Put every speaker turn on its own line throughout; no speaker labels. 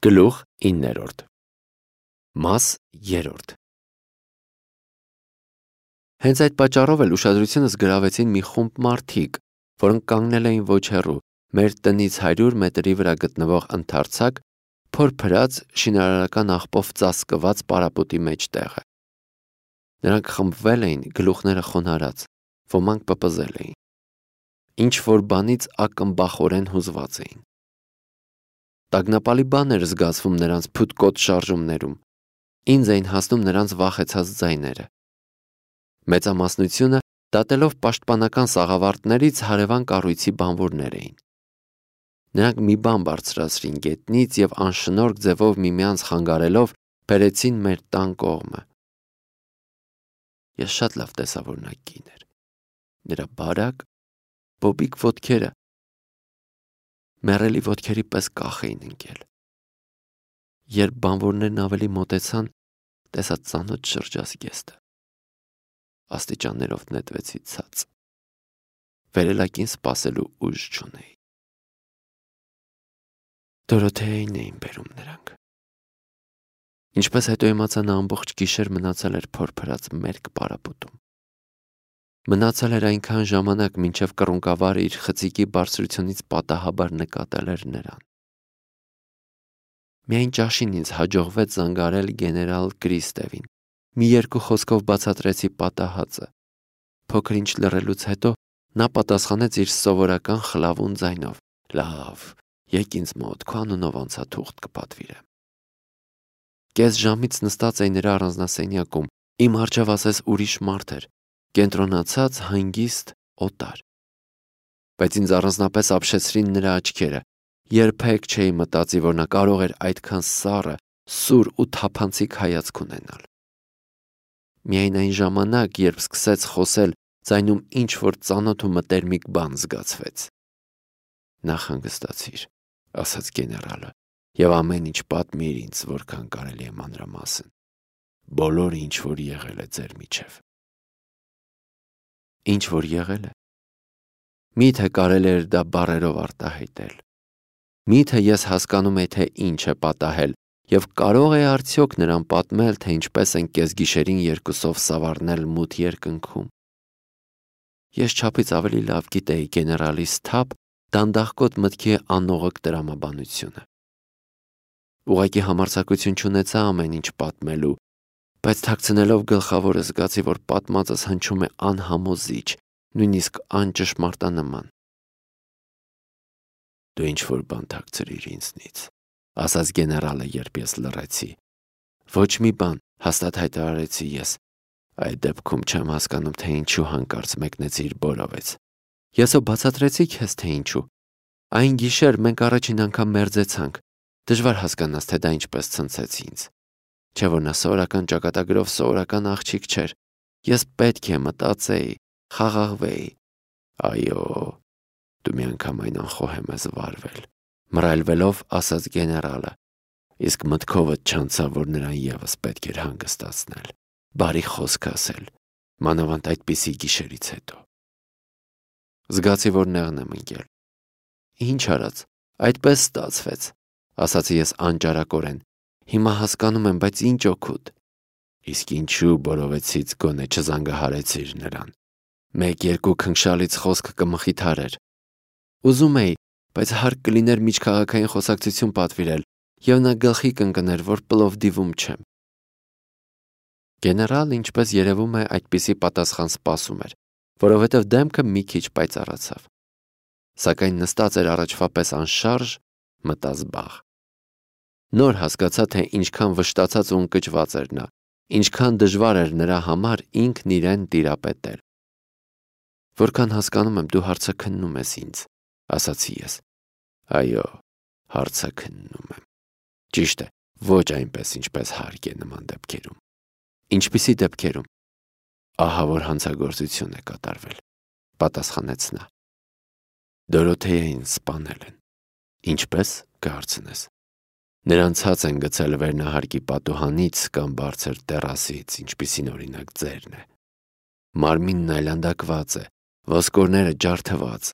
Գլուխ 9 Մաս 3 Հենց այդ պատճառով էլ ուշադրությունս գրավեցին մի խումբ մարդիկ, որոնք կանգնել էին ոչ հեռու, մեր տնից 100 մետրի վրա գտնվող ընդարձակ, փորփրած շինարարական աղբով ծածկված պարապոտի մեջտեղը։ Նրանք խմբվել էին, գլուխները խոնարհած, ոմանք պպզել էին։ Ինչ որ բանից ակմբախորեն հուզված էին։ Տագնապալի բան էր զգացվում նրանց փութկոտ շարժումներում, ինձ էին հասնում նրանց վախեցած ձայները։ Մեծամասնությունը դատելով պաշտպանական սաղավարտներից հարևան կառույցի բանվորներ էին։ Նրանք մի բան բարձրացրին գետնից և անշնորհք ձևով միմյանց խանգարելով բերեցին մեր տան կողմը։ Ես շատ լավ տեսա, որ նա կին էր։ Նրա բարակ, բոբիկ ոտքերը մեռելի ոտքերի պես կախ էին ընկել։ Երբ բանվորներն ավելի մոտեցան, տեսա ծանոթ շրջազգեստը։ Աստիճաններով նետվեցի ցած։ Վերելակին սպասելու ուժ չունեի։ Դորոթեային էին բերում նրանք։ Ինչպես հետո իմացա, նա ամբողջ գիշեր մնացել էր փորփրած մերկ պարապոտում։ Մնացել էր այնքան ժամանակ, մինչև կռունկավարը իր խցիկի բարձրությունից պատահաբար նկատել էր նրան։ Միայն ճաշին ինձ հաջողվեց զանգարել գեներալ Կրիստևին։ Մի երկու խոսքով բացատրեցի պատահածը։ Փոքր ինչ լռելուց հետո նա պատասխանեց իր սովորական խլավուն ձայնով. «Լավ, եկ ինձ մոտ, քո անունով անցաթուղթ կպատվիրեմ»։ Կես ժամից նստած էի նրա առանձնասենյակում, իմ առջև ասես ուրիշ մարդ էր, կենտրոնացած, հանգիստ, օտար։ Բայց ինձ առանձնապես ապշեցրին նրա աչքերը։ Երբեք չէի մտածի, որ նա կարող էր այդքան սառը, սուր ու թափանցիկ հայացք ունենալ։ Միայն այն ժամանակ, երբ սկսեց խոսել, ձայնում ինչ-որ ծանոթ ու մտերմիկ բան զգացվեց։ «Նախ հանգստացիր», ասաց գեներալը, «և ամեն ինչ պատմիր ինձ, որքան կարելի է մանրամասն։ Բոլորը, ինչ որ եղել է ձեր միջև»։ Ինչ որ եղել է։ Միթե կարելի էր դա բառերով արտահայտել։ Միթե ես հասկանում էի, թե ինչ է պատահել, և կարող էի արդյոք նրան պատմել, թե ինչպես են կեսգիշերին երկուսով սավառնել մութ երկնքում։ Ես չափից ավելի լավ գիտեի գեներալի սթափ, դանդաղկոտ մտքի անողոք տրամաբանությունը։ Ուղղակի համարձակություն չունեցա ամեն ինչ պատմելու, բայց թաքցնելով գլխավորը զգացի, որ պատմածս հնչում է անհամոզիչ, նույնիսկ անճշմարտանման։ «Դու ինչ-որ բան թաքցրիր ինձնից», ասաց գեներալը, երբ ես լռեցի։ «Ոչ մի բան», հաստատ հայտարարեցի ես։ «Այդ դեպքում չեմ հասկանում, թե ինչու հանկարծ մեկնեցիր Բորովեց»։ Ես ո բացատրեցի քեզ, թե ինչու։ Այն գիշեր մենք առաջին անգամ մերձեցանք։ Դժվար հասկանաս, թե դա ինչպես ցնցեց ինձ։ Չէ՞ որ նա սովորական ճակատագրով սովորական աղջիկ չէր։ Ես պետք է մտածեի, խաղաղվեի։ Այո, դու միանգամայն անխոհեմ ես վարվել, մռայլվելով ասաց գեներալը, իսկ մտքովդ չանցավ, որ նրան ևս պետք էր հանգստացնել, բարի խոսք ասել, մանավանդ այդպիսի գիշերից հետո։ Զգացի, որ նեղն եմ ընկել։ Ինչ արած, այդպես ստացվեց, ասացի ես անճարակորեն։ Հիմա հասկանում եմ, բայց ինչ օգուտ։ Իսկ ինչու Բորովեցից գոնե չզանգահարեցիր նրան։ Մեկ-երկու քնքշալից խոսք կմխիթարեր։ Ուզում էի, բայց հարկ կլիներ միջքաղաքային խոսակցություն պատվիրել, և նա գլխի կընկներ, որ Պլովդիվում չեմ։ Գեներալ, ինչպես երևում է, այդպիսի պատասխան սպասում էր, որովհետև դեմքը մի քիչ պայծառացավ։ Սակայն նստած էր առաջվա պես անշարժ, մտազբաղ։ Նոր հասկացա, թե ինչքան վշտացած ու ընկճված էր նա, ինչքան դժվար էր նրա համար ինքն իրեն տիրապետել։ Որքան հասկանում եմ, դու հարցաքննում ես ինձ, ասացի ես։ Այո, հարցաքննում եմ։ Ճիշտ է, ոչ այնպես, ինչպես հարկ է նման դեպքերում։ Ինչպիսի դեպքերում։ Ահա որ հանցագործություն է կատարվել, պատասխանեց նա։ Դորոթեային սպանել են։ Ինչպես կհարցնես։ Նրան ցած են գցել վերնահարկի պատուհանից կամ բարձր տեռասից, ինչպիսին օրինակ ձերն է։ Մարմինն այլանդակված է, ոսկորները ջարդված։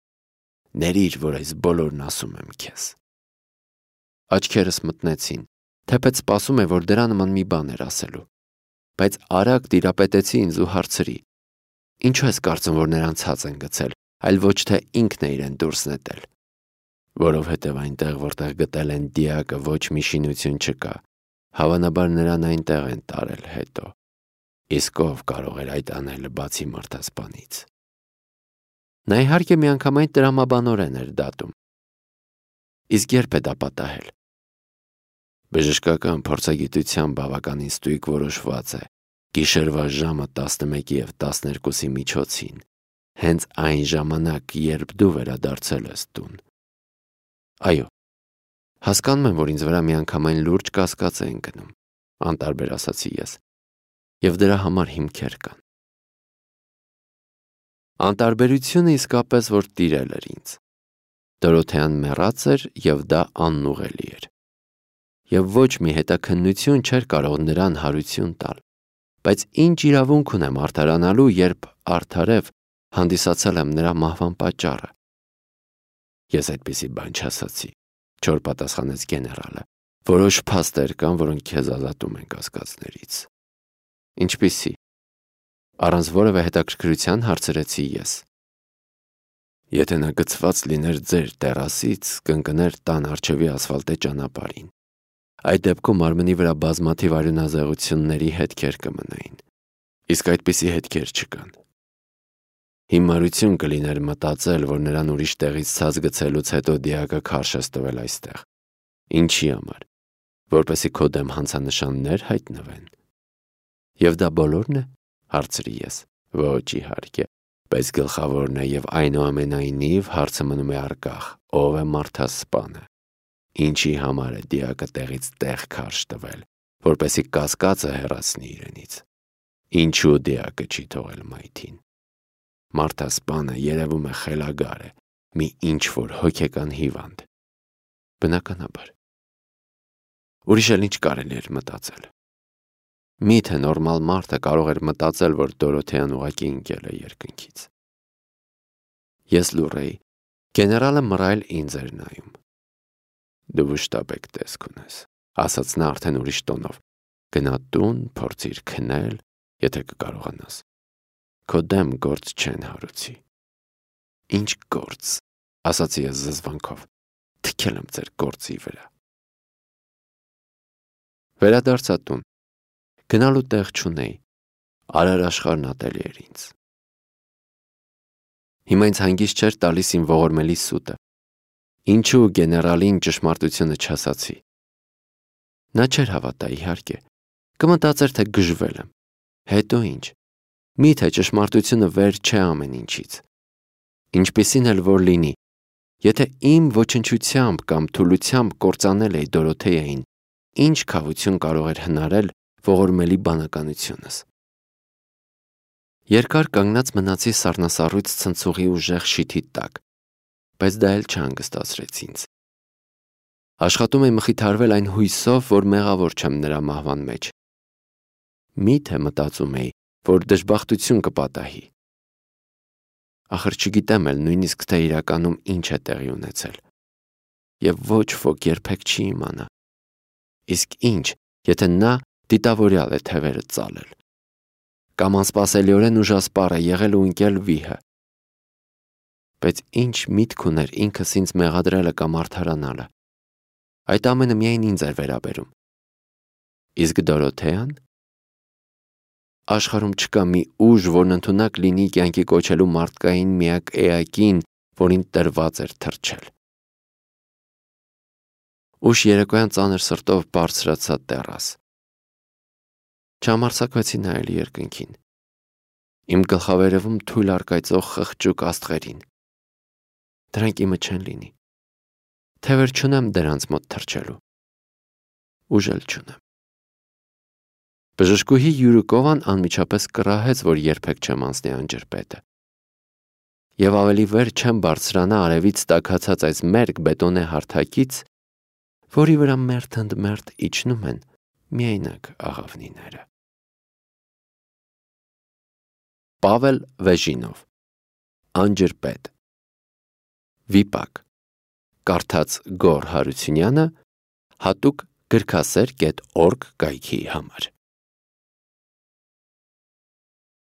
Ներիր, որ այս բոլորն ասում եմ քեզ։ Աչքերս մտնեցին, թեպետ սպասում է, որ դրա նման մի բան էր ասելու։ Բայց արագ տիրապետեցի ինձ ու հարցրի. Ինչու ես կարծում, որ նրան ցած են գցել, այլ ոչ թե ինքն է իրեն դուրս նետել։ Որովհետև այնտեղ, որտեղ գտել են դիակը, ոչ մի շինություն չկա, հավանաբար նրան այնտեղ են տարել հետո։ Իսկ ով կարող էր այդ անելը բացի մարդասպանից։ Նա իհարկե միանգամայն տրամաբանորեն էր դատում։ Իսկ երբ է դա պատահել։ Բժշկական փորձագիտության բավականին ստույգ որոշված է, գիշերվա ժամը 11:12 միջոցին, հենց այն ժամանակ, երբ դու վերադարձել ես տուն։ Այո, հասկանում եմ, որ ինձ վրա միանգամայն լուրջ կասկած է ընկնում, անտարբեր ասացի ես, և դրա համար հիմքեր կան։ Անտարբերությունը իսկապես որ տիրել էր ինձ։ Դորոթեան մեռած էր և դա անուղղելի էր։ Եվ ոչ մի հետաքննություն չէր կարող նրան հարություն տալ, բայց ինչ իրավունք ունեմ արդարանալու, երբ արդարև հանդիսացել եմ նրա մահվան պատճառը։ Ես այդպիսի բան չասացի, չոր պատասխանեց գեներալը, որոշ փաստեր կան, որոնք քեզ ազատում են կասկածներից։ Ինչպիսի։ Առանց որևէ հետաքրքրության հարցրեցի ես։ Եթե նա գցված լիներ ձեր տերասից, կընկներ տան առջևի ասֆալտե ճանապարհին։ Այդ դեպքում մարմնի վրա բազմաթիվ արյունազեղությունների հետքեր կմնային, իսկ այդպիսի հետքեր չկան։ Հիմարություն կլիներ մտածել, որ նրան ուրիշ տեղից ցած գցելուց հետո դիակը քարշ ես տվել այստեղ։ Ինչի համար, որպեսզի քո դեմ հանցանշաններ հայտնվեն։ Եվ դա բոլորն է, հարցրի ես։ Ոչ իհարկե, բայց գլխավորն է և այնուամենայնիվ հարցը մնում է առկախ, ով է մարդասպանը։ Ինչի համար է դիակը տեղից տեղ քարշ տվել, որպեսզի կասկածը հեռացնի իրենից։ Ինչու դիակը չի թողել մայթին։ Մարդասպանը երևում է խելագար է, մի ինչ-որ հոգեկան հիվանդ։ Բնականաբար։ Ուրիշ էլ ինչ կարելի էր մտածել։ Միթե նորմալ մարդը կարող էր մտածել, որ Դորոթեան ուղղակի ընկել է երկնքից։ Ես լուռ էի, գեներալը մռայլ ինձ էր նայում։ Դու վշտաբեկ տեսք ունես, ասաց նա արդեն ուրիշ տոնով։ Գնա տուն, փորձիր քնել, եթե կկարողանաս։ Քո դեմ գործ չեն հարուցի։ Ինչ գործ, ասացի ես զզվանքով։ Թքել եմ ձեր գործի վրա։ Վերադարձա տուն։ Գնալու տեղ չունեի։ Արարաշխարհն ատելի էր ինձ։ Հիմա ինձ հանգիստ չէր տալիս իմ ողորմելի սուտը։ Ինչու գեներալին ճշմարտությունը չասացի։ Նա չէր հավատա, իհարկե։ Կմտածեր, թե գժվել եմ։ Հետո ինչ։ Միթե ճշմարտությունը վեր չէ ամեն ինչից։ Ինչպիսին էլ որ լինի, եթե իմ ոչնչությամբ կամ թուլությամբ կործանել էի Դորոթեային, ինչ քավություն կարող էր հնարել ողորմելի բանականությունս։ Երկար կանգնած մնացի սառնասառույց ցնցուղի ուժեղ շիթի տակ, բայց դա էլ չհանգստացրեց ինձ։ Աշխատում էի մխիթարվել այն հույսով, որ մեղավոր չեմ նրա մահվան մեջ։ Միթե մտածում էի, որ դժբախտություն կպատահի։ Ախր չգիտեմ էլ նույնիսկ թե իրականում ինչ է տեղի ունեցել։ Եվ ոչ ոք երբեք չի իմանա։ Իսկ ինչ, եթե նա դիտավորյալ է թևերը ծալել։ Կամ անսպասելիորեն ուժասպառ է եղել ու ընկել վիհը։ Բայց ինչ միտք ուներ ինքս ինձ մեղադրելը կամ արդարանալը։ Այդ ամենը միայն ինձ էր վերաբերում։ Իսկ Դորոթեան։ Աշխարհում չկա մի ուժ, որն ընդունակ լինի կյանքի կոչելու մարդկային միակ էակին, որին տրված էր թռչել։ Ուշ երեկոյան ծանր սրտով բարձրացա տեռաս։ Չհամարձակվեցի նայել երկնքին։ Իմ գլխավերևում թույլ առկայծող խղճուկ աստղերին։ Դրանք իմը չեն լինի։ Թևեր չունեմ դրանց մոտ թռչելու։ Ուժ էլ չունեմ։ Բժշկուհի Յուրիկովան անմիջապես կռահեց, որ երբեք չեմ անցնի անջրպետը։ Եվ ավելի վեր չեմ բարձրանա արևից տաքացած այս մերկ բետոնե հարթակից, որի վրա մերթ ընդ մերթ իջնում են միայնակ աղավնիները։ Պավել Վեժինով, Անջրպետ։ Վիպակ։ Կարդաց Գոռ Հարությունյանը, հատուկ գրքասեր.org կայքի համար։